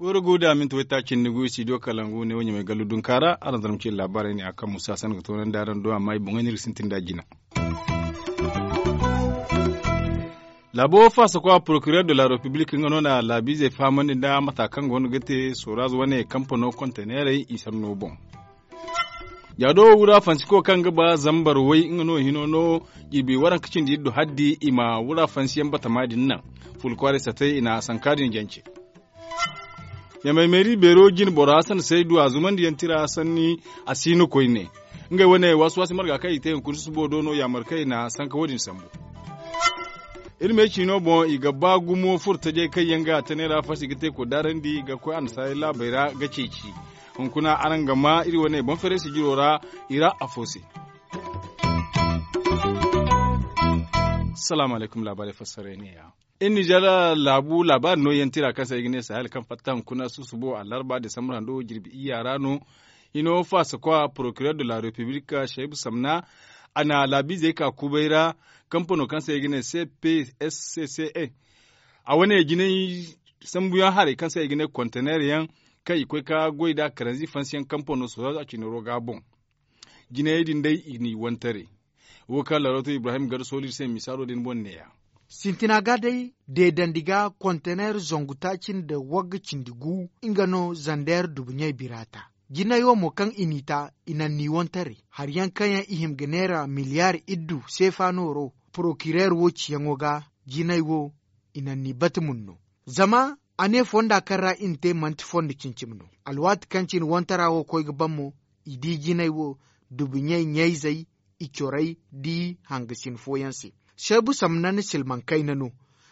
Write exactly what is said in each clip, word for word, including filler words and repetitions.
Goro guda minti wayta cindi gu studio kalangu ne wo ɲamay gallu dunkaara araŋ zarma cine laabaarey ne a kaŋ musa sanda ga toonandi araŋ do amma i boŋey no iri ga sintin nd'a jina. Laabo faasakwa procureur de la république nga no na laabiizey fahamandi nda mata kaŋ go no ga te soraz wane kampano konteneerey i sanno boŋ. Yaado wura fansiko kaŋ ga ba zambar way nga no hino no jirbi waranka cindi iddu haddi i ma wura fansiyaŋ batama din naŋ. Fulkwaarey satey i na sanka din jance. Yamay meeri beero jine boro hasan saydu a zumandiyaŋ tira sanni a si no koyne. Ngey wane waasi waasi marga kaŋ i te hunkuna susubo do no yaamar kaŋ i na sanka wo- din sambu. Iri me ciino boŋ i ga ba gumo furo tajey kaŋ yaŋ ga a tane ra fasi ga te koy daarandi ga koy annasaarey laabey ra ga ceeci. Hunkuna araŋ ga ma iri wane boŋ feeray sijiro ra i ra afo se. Salaamu alaykum laabaarey fassarey ne ya. Iri nizer laabu laabaari nooyaŋ tira kaŋ se ay ga ne sahel kaŋ fatta hunkuna susubo alarba desambar hando jirbi iyya ra no. Hino faasakwa procureur de la république shaibu samna a na laabiizey ka kubay ra. Kampano kaŋ se ay ga ne cpscca a wane jinay sambuyaŋ haray kaŋ se ay ga ne konteneer yaŋ kaŋ i koy ka goy nd'a karanzi fansiyaŋ kampano soza a cinaro ga boŋ. Jinayey din day i n'i wantaray. Wo kaŋ larooto ibrahim gar sooli iri se misaalo din boŋ neeya. Sintina ga day deedandi ga konteneer zangu taaci nda wagga cindi gu nga no zandeer dubuɲey biraata. Jinay wo mo kaŋ i n'i ta i naŋ n'i wantaray hari yaŋ kaŋ yaŋ i hima ga neera miliyaar iddu seefa nooro porokireer wo ciyaŋo ga. Jinay wo i naŋ n'i bata mun no. Zama a ne fonda kaŋ ra i na te manti fondo cine-cine no. Alwaati kaŋ cine wantara wo koy ga ban mo i di jinay wo dubuɲey ɲayzey i corey di hangasin fooyaŋ se. Seebu samna na silmaŋ kayna no.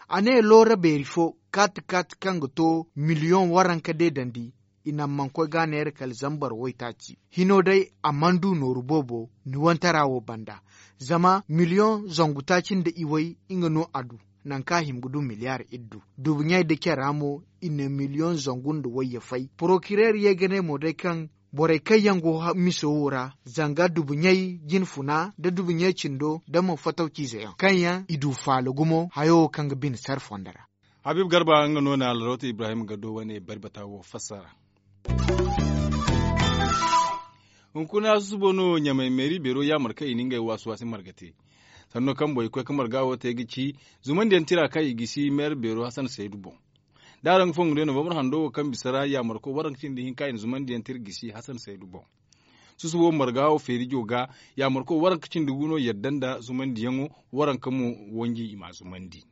A ne loora beeri fo kaati kaati kaŋ ga to miliyoŋ waranka deedandi i naŋ mana koy ga a neera kala zambar waytaaci hino day a mana du nooru boobo ni wantara wo banda. Zama miliyoŋ zangu taaci nda iway nga no a du. Nangu kaŋ a hima ga du miliyaar iddu dubuɲey nda care ra mo i na miliyoŋ zangu nda wayye fay porokireer ye ga ne mo day kaŋ borey kaŋ yaŋ go miso wo ra zanga dubuɲey jinfuna nda dubuɲey cindo nda mo fatawciize yaŋ kaŋ yaŋ i du faala gumo hayo wo kaŋ ga bine sara fondo ra. Habib garba nga no na alrawta ibrahim gado wane bari bata wo fassara. Hunkuna susubo no ɲamay meeri beero yaamar kaŋ i na ngey waasi waasi marga te. Sanno kaŋ boŋ i koy ka marga wo te ga ci zumandiyaŋ tira kaŋ i gisi meeri beero hasan saydu boŋ. Da araŋ ga fongu day novambar hando wo kaŋ bisa ra yaamarko waranka cindi hinka i na zumandiyaŋ tira gisi hasan saydu boŋ. Susubo marga wo feerijo ga yaamarko waranka cindi gu no yadda nda zumandiyaŋo waranka mo wanji i m'a zumandi.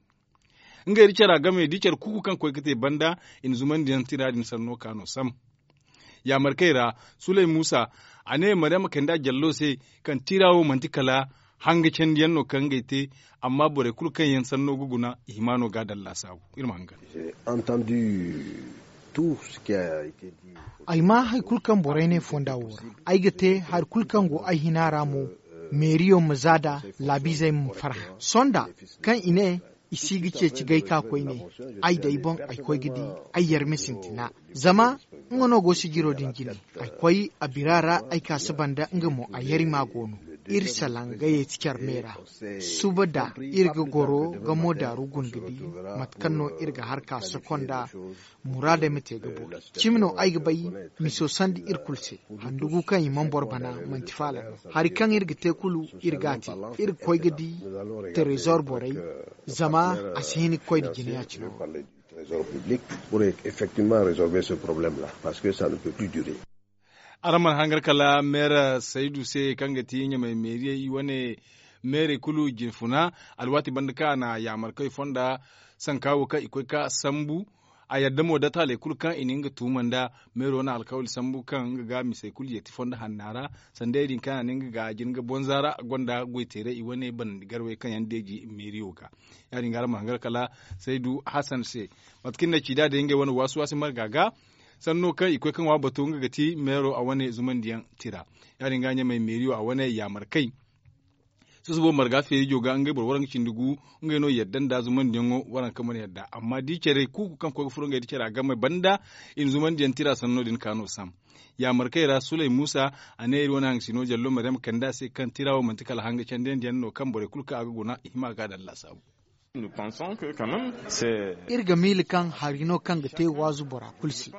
Ngey da care a game da care kuuku kaŋ koy ga te banda i na zumandiyaŋ tira din sanno ka no sam. Yaamarkey ra sulay muusa a ne maryama kayndi a jallo se kaŋ tira wo manti kala hanga candiyaŋ no kaŋ ngey te. Amma borey kulu kaŋ yaŋ sanno ga guna i hima no ga a daŋ laasaabu. Iri ma hangan. Ay ma hari kulu kaŋ borey ne fonda wo ra ay ga te hari kulu kaŋ go ay hina ra mo. Meeriyo ma za da laabiizey ma farhã sonda kaŋ i ne i si ga ceeci gay ka koyne. Ay day boŋ ay koy ga di ay yar ma sintina zama nga no go sijiro din jine. Ay koy a bira ra ay ka saba nda nga mo a yar i ma go no. Iri salaŋ ga yeeti care me ra suba da iri ga goro ga mo daaru guna ga di mate kaŋ no iri ga har ka sokonda muraadey ma te ga boori. Cimi no ay ga bay miso sanda iri kulu se handugu kaŋ i mana boro bana manti faala no. Hari kaŋ iri ga te kulu iri ga a te iri ga koy ga di trésor borey zama a si hin ga koy nda jine ya-cine wo. Araŋ mana hangar kala meera saydu se kaŋ ga ti ɲamay meeriyey i wane meerey kulu jinfuna alwaati banda kaŋ a na yaamar kaŋ i fonda sanka wo kaŋ i koy ka sambu. A yadda mo da taaley kulu kaŋ i na nga tuuma nda meero na alkawali sambu kaŋ nga ga misey kulu yeeti fondo hanna ra sanda ya- din kaŋ a na nga ga jin ga bonza ra gonda goyteeray i wane banandi garwey kaŋ yaŋ deeji meeriyo ga. Ya- din ga araŋ ma hangar kala saydu hasan se mate kaŋ ni na ci nd'a day ngey wane waasi waasi marga ga sanno kaŋ i koy ka ŋwa bato nga ga ti meero a wane zumandiyaŋ tira. Ya- din ga ɲamay meeriyo a wane yaamarkey Susubo marga feerijo ga ngey boro waranka cindi gu, ngey no yadda nda zumandiyaŋo waranka mana yadda amma da i care kuuku kaŋ koy ga furo ngey da cara game banda, i na zumandiyaŋ tira sanno din ka no sam. Yaamarkey ra suley muusa, a ne iri wane hangasino jallo maryam kande a se kaŋ tira wo manti kala hanga candiyandiyaŋ no kaŋ borey kulu kaŋ a ga guna i hima ga a daŋ laasaabu. Iri ga miila kaŋ hari no kaŋ ga te waazu bora kulu se.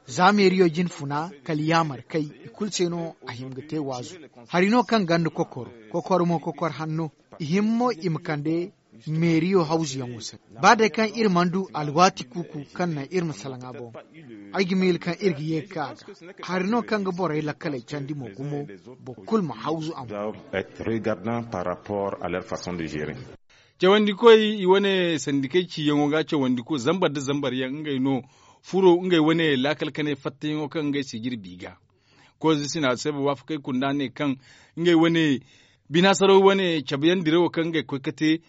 Za meeriyo jin funa kala yaamar kay, i kulu se no a hima ga te waazu. Hari no kaŋ ganda kokoro, kokoro mo kokoro hanno. I hima mo i ma kande meeriyo hawzuyaŋo se. Ba day kaŋ iri mana du alwaati kuuku kaŋ naŋ iri ma salaŋ a boŋ, ay ga miila kaŋ iri ga ye ga ka a ga. Hari no kaŋ ga borey lakkaley candi mo gumo, boro kulu ma hawzu a mo. Cawandikoy i wane sandikey ciyaŋo ga cawandiko zambar nda zambar yaŋ ngey no furo ngey wane laakal kanay fattayaŋo kaŋ ngey si jirbi ga. Kozo sina se ba waafakey kunda ne kaŋ ngey wane binaasaraw wane cabe yaŋ dirawo kaŋ ngey koy ga te.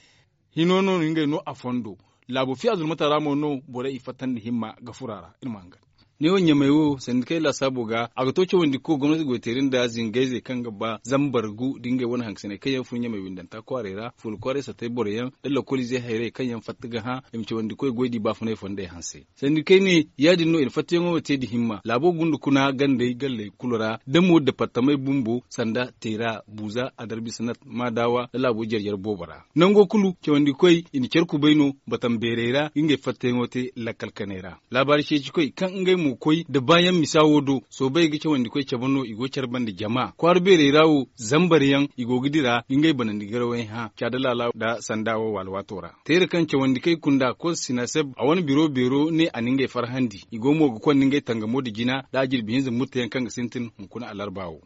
Hino no ngey no a fondo. Laabo fiya zulmata ra mo no borey i fattandi himma ga furo a ra iri ma hangan. Ne wo ɲamey wo sandikey laasaabo ga a ga to cawandiko gomnati goyteeri nda zingayzey kaŋ ga ba zambar gu da ngey wane hangasiney kaŋ yaŋ fun ɲamey windanta kwaarey ra fuula kwaaray satay boro yaŋ da lokoliizey hayrey kaŋ yaŋ fatta ga hã i ma cawandikoy goy di baafunay fondey hanse. Sandikey ne ya- din no i na fattayaŋo wo te nda himma laabo gunda kuna gandey galley kulu ra da mo departamey bumbo sanda teera buuza adarbisanat maadawa da laabo jare jare boobo ra nango kulu cawandikoy i na care kubay no batam beerey ra ngey fattayaŋo te lakkal kanay ra. Laabaari ceecikoy kaŋ ngey mo koy nda baayaŋ misa wo do soobay ga cawandikoy cabe no i go care banda jama kwaara beerey ra wo zambar yaŋ i go ga dira ga ngey banandi garawey hã caada laala nda sanda wo alwaato ra. Teera kaŋ cawandi kay kunda koz sinaseb a wane biro beero ne a na ngey farhandi i go mo ga konda ngey tangamo nda jina nda a jirbi hinza murteyaŋ kaŋ ga sintin hunkuna alarba wo.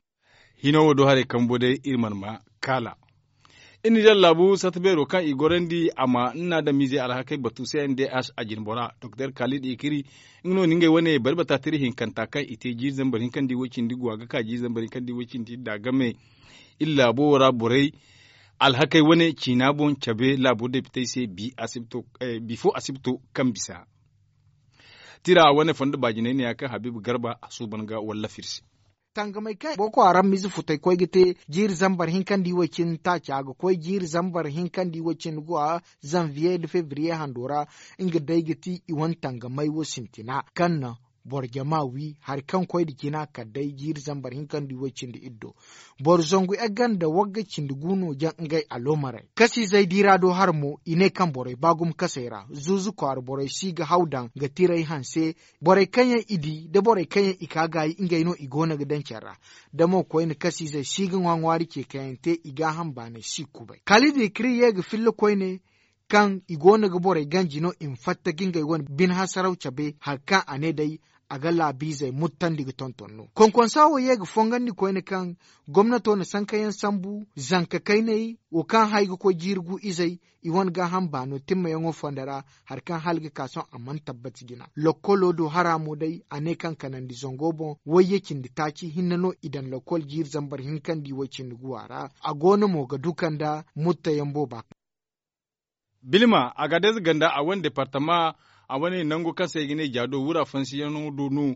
Hino wo do haray kambo day iri mana ma kaala. Iri na iri laabu sarta beero kaŋ i gorandi a ma nna adamiizey alhakey batu se n d h a jinbora doktor kaalid ikiri. Nga no na ngey wane bari bata tira hinkanta kaŋ i te jiiri zambar hinkandi way cindi go a ga ka jiiri zambar hinkandi way cindi nda game. Iri laabo wo ra borey alhakey wane ciina boŋ cabe laabo depitey se bifo asibto kaŋ bisa. Tira wane fondo baajinay ne ya kaŋ habiibu garba a suuban ga wallafir se. Tangamey kaŋ boko haram mize futay koy ga te jiiri zambar hinkandi way cindi taaca ga koy jiiri zambar hinkandi way cindi go a zanviye nda febriye hando ra. Nga day ga ti i wane tangamey wo sintina kaŋ naŋ boro jama wi hari kaŋ koy nda jina kala day jiiri zambar hinkandi way cindi iddo. Boro zangu egga nda wagga cindi gu no jaŋ ngey aloomarey kasiizey diira do hara mo i ne kaŋ borey ba gumo kasey ra zuuzu kwaara borey si ga haw daŋ ga tiray hanse. Borey kaŋ yaŋ i di nda borey kaŋ yaŋ i ka gaayi ngey no i go no ga daŋ care ra. Da mo koyne kasiizey si ga ŋwa ŋwaari ce kaŋ yaŋ te i gaaham baanay si kubay kala i di kiri ye ga filla koyne kaŋ i go no ga borey ganji no i ma fatta ga ngey wane bine hasaraw cabe hari kaŋ a ne day a ga laabiizey muttandi ga tonton no konkonsa wo ye ga fongandi koyne kaŋ gomnato na sankayaŋ sambu zanka kayney wo kaŋ hay ga koy jiiri gu izey i wane gaaham baano timmayaŋo fondo ra. Hari kaŋ hala ga ka sohõ a mana tabbati jina lokkolo do hara mo day a ne kaŋ kanandi zango boŋ wayye cindi taaci hinne no i daŋ lokkol jiiri zambar hinkandi way cindi guwa ra. A go no mo ga duka nda muttayaŋ booba. Bilma agadez ganda a wane departama a wane nango kaŋ se i ga ne jaado wura fansiyaŋo do no.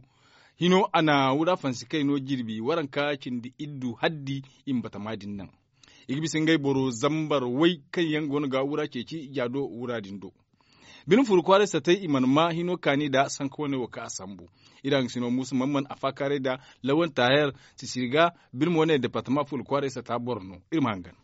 Hino a na wura fansi kay no jirbi waranka cindi iddu haddi i ma batama din naŋ. I ga bisa ngey boro zambar way kaŋ yaŋ go no ga wura ceeci jaado wura din do. Bine furu kwaaray satay i mana ma hino kaani nda sanka wane wo kaŋ a sambu. Iri hangasino muusa mana mana a faakaaray nda lawan taher sisiri ga. Bine mo ne departama furu kwaaray sata boro no iri ma hangan.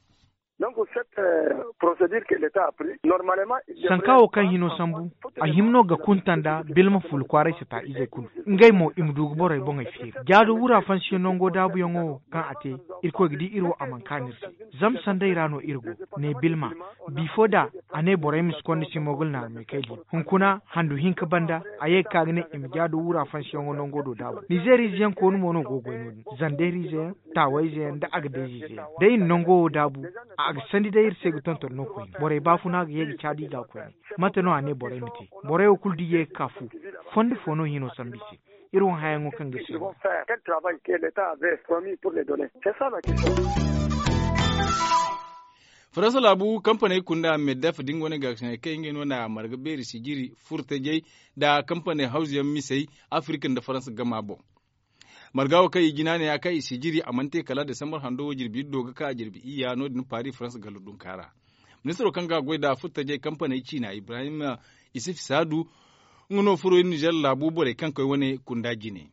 Sanka wo kaŋ hino sambu a hima no ga kunta nda bilma fulu kwaaray sata izey kulu. Ngey mo i ma du ga borey boŋey feeri jaado wura fansiyaŋ nango daabuyaŋo wo kaŋ a te. Irkoy ga di iri wo a mana kaanu iri se. Zama sanday ra no iri go ne bilma bifo da a ne borey ma si konda simogul naarmey kay di hunkuna handu hinka banda a ye ga ka ga ne i ma jaado wura fansiyaŋo nango do daabu nizeeriize yaŋ koonu mo no go ga goy no- din zandeeriize yaŋ taawayze yaŋ nda agadayzeyze yaŋ da i na nango wo daabu. A ga sandi day iri se ga tonton no koyne borey baafuna ga ye ga caadi i ga koyne. Mate no a ne borey ma te? Borey wo kulu da i ye ga ka fu fondo fo no hino sambu i se. Iri wo hayaŋo kaŋ ga iri se no. Faransa laabu kampaney kunda meddef da nga wane gaakasiney kaŋ ngey no na marga beeri sijiri furtajey nda kampaney hawzuyaŋ misey afirika nda faransa gama boŋ. Marga wo kaŋ i jina ne ya kaŋ i si jiri a mana te kala desambar hando wo jirbi iddo ga ka jirbi iyya no- din paris farans gallo dunka ra. Ministiro kaŋ ga goy nd'a furtajey kampaney ciina ibrahim isif saadu, nga no furo iri nizer laabu borey kaŋ koy wane kunda jine.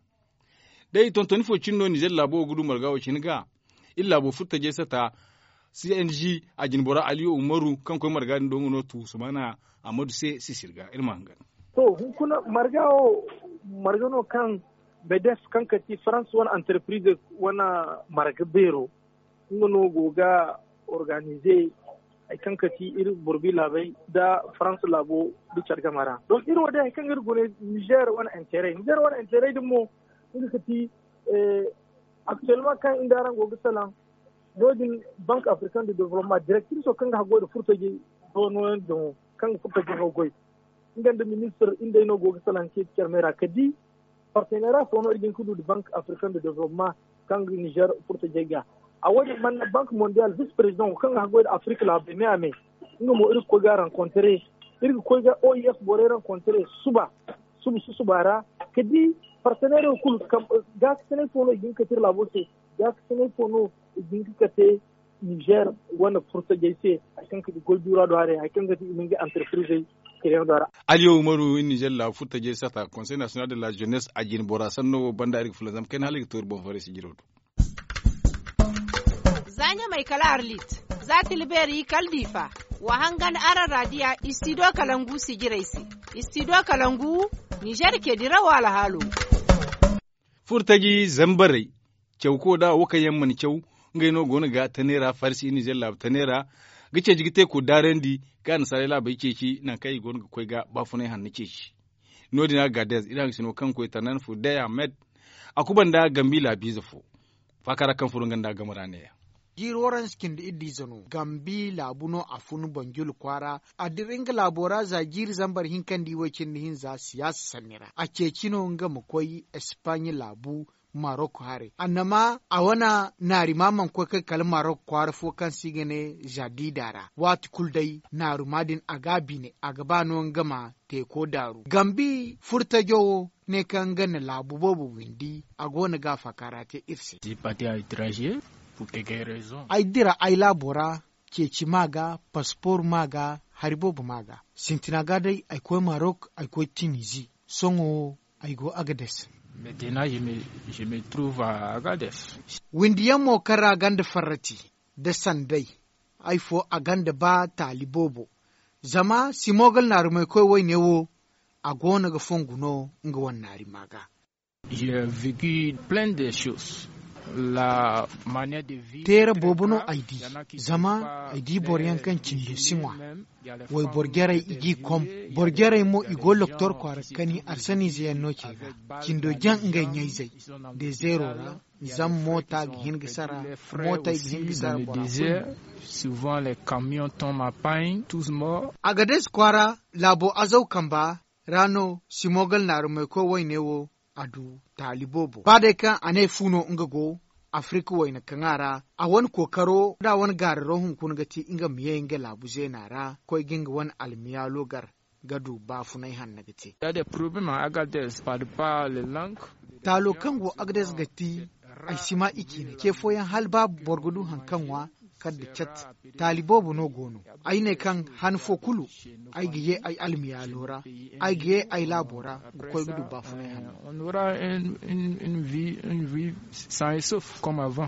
Day tontoni fo cine no nizer laabo wo ga du marga wo cine ga. Iri laabo furtajey sata cng a jine bora aliyu umaru kaŋ koy marga din do nga no tu sumana. Ammadu se sisir ga iri ma hangan. To hunkuna marga wo marga no kaŋ bedes kaŋ ka ti farans wane antarpirize wane marga beero nga no go ga organize hari kaŋ ka ti iri borbi laabey nda farans laabo nda care game ra donk iri wo day hari kaŋ iri gune nizer wane interey nizer wane interey din mo nga ga ti aktuellement kaŋ iri nda araŋ go ga salaŋ no- din bank african de development directrice kaŋ ga haggoy nda furtajey do no- yaŋ din wo kaŋ ga furtajey no goy nga nda ministir iri day no go ga salaŋ ceeci care me ra ka di partenera fo no iri ga hin ka du nda bank african de development kaŋ ga nizer furtajey ga a wo- din manna bank mondial vice president wo kaŋ ga haggoy nda africa laabey me a me nga mo iri ga koy ga rencontre iri ga koy ga oef borey rencontre suba suba susuba ra ka di parteneero kulu gaakasinay fo no i ga hin ka te iri laabo se gaakasinay fo no i ga hin ka te nizer wane furtajey se hari kaŋ ka ti goy duura do haray hari kaŋ ga ti i ma ngey antarpirizey kiriyaŋ do ra. Aliyo umaru iri nizer laabu furtajey sata konsey nasiyonal de la jenes a jine bora sanno wo banda iri ga fulaŋ zama kayna hala iri ga to iri boŋ farey sijiro do. Za ɲamay kala arlit za tilbeeri kala diifa wa hangan araŋ raadiya istidiyo kalangu sijirey se. Istidiyo kalangu nizer ke dirawo alhaalo. Furtaji zambarey cawko da wo kaŋ yaŋ mana caw ngey no go no ga tanera farsi nizer laabu tanera ga ceeci ga teeko daarandi ga annasaarey laabey ceeci nangu kaŋ i go no ga koy ga baafunay hanno ceeci. No- din a ga gaadez iri hangasino kaŋ koy tanan fudey ahmed a kuba nda gambi laabiize fo. Faaka ra kaŋ furo nga nda a game ra neeya. Jiiri waranse cindi iddiize no gambi laabu no a fun banjul kwaara a dira nga laabo ra za jiiri zambar hinka nda i way cindi hinza siyaasa sanni ra a ceeci no nga ma koy espaaɲe laabu marok haray annama a wane naari ma mana koy kay kala marok kwaara fo kaŋ se i ga ne zadida ra waati kulu day naaruma din a ga a bine a ga ba no nga ma teeko daaru gambi furtajo wo ne kaŋ nga na laabu boobo windi a go no ga a faakaara te iri se. Ay dira ay laabo ra ceeci ma ga paspoor ma ga hari boobo ma ga sintina ga day ay koy marok ay koy tinizi sohõ wo ay go agades. Windiyaŋ mo kaŋ ra ganda farrati nda sanday ay fo a ganda ba taali boobo zama simogal naarumay koy wayne wo a go no ga fongu no nga wane naari ma ga. Teera boobo no ay di zama ay di boro yaŋ kaŋ cindo si ŋwa wayboro jarey i g'i kom boro jarey mo i go loktor kwaara kani arsaniize yaŋ no ce ga cindo jaŋ ngey ɲayzey dezeero ra. Zama moota ga hin ga sara mootey ga hin ga sara bora kulu. Agades kwaara laabo azaw kamba ra no simogal naarumay koy wayne wo a du taali boobo ba day kaŋ a ne fu no nga go afirika wayna kaŋ a ra a wane kookaro da a wane gaararo hunkuna ga ti nga ma ye nga laabu zeena ra koy ga nga wane almiyaalo gar ga du baafunay hanno ga te. Taalo kaŋ go agades ga ti ay si ma i ciine ce fooyaŋ hala ba boro ga du hari kaŋ ŋwa kala nda cat taali boobo no go no. Ay ne kaŋ han fo kulu ay ga ye ay almiyaalo ra ay ga ye ay laabo ra ga koy ga du baafunay hanno.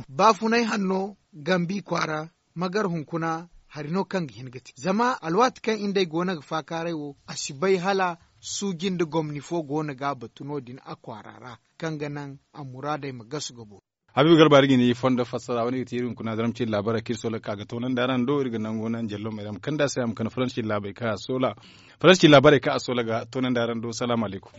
Baafunay hanno gambi kwaara magar hunkuna hari no kaŋ ga hin ga te zama alwaati kaŋ iri nd'ey go no ga faakaaray wo a si bay hala suuji nda gomni fo go no ga a batu no- din a kwaara ra kaŋ ga naŋ a muraadey ma gasu ga boori. Habiibu garba iri ga ni fondo fassara wane ga ti iri hunkuna zarma ciri laabaray kaŋ iri soola ga ka ga toonandi araŋ do iri ga nangu naŋ jallo ma iri a ma kande a se a ma kande faransi ciri laabaray kaŋ a soola ga toonandi araŋ do salaamu alaykum.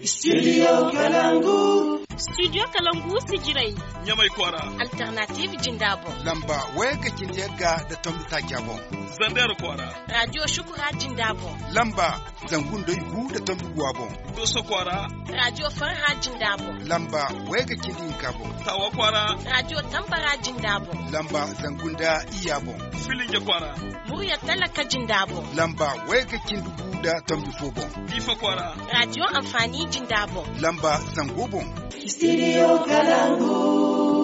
Studio kalangu sijirey ɲamay kwaara. Alternatiiv jinda boŋ lamba wayagga cindi yagga nda tombi taaca boŋ. Zandar kwaara radio shukura jinda boŋ lamba Zangu nda gu nda tombi gu a boŋ. Doso kwaara. Radio farha jinda boŋ. Lamba wayga cindi hinka boŋ. Tawa kwaara. Radio tambara jinda boŋ. Lamba zangu nda iyya boŋ. Filinja kwaara. Murya talaka jinda boŋ. Lamba wayga cindi gu nda tombi fo boŋ. Difa kwaara. Radio amfani jinda boŋ. Lamba zango boŋ. Studio kalangu.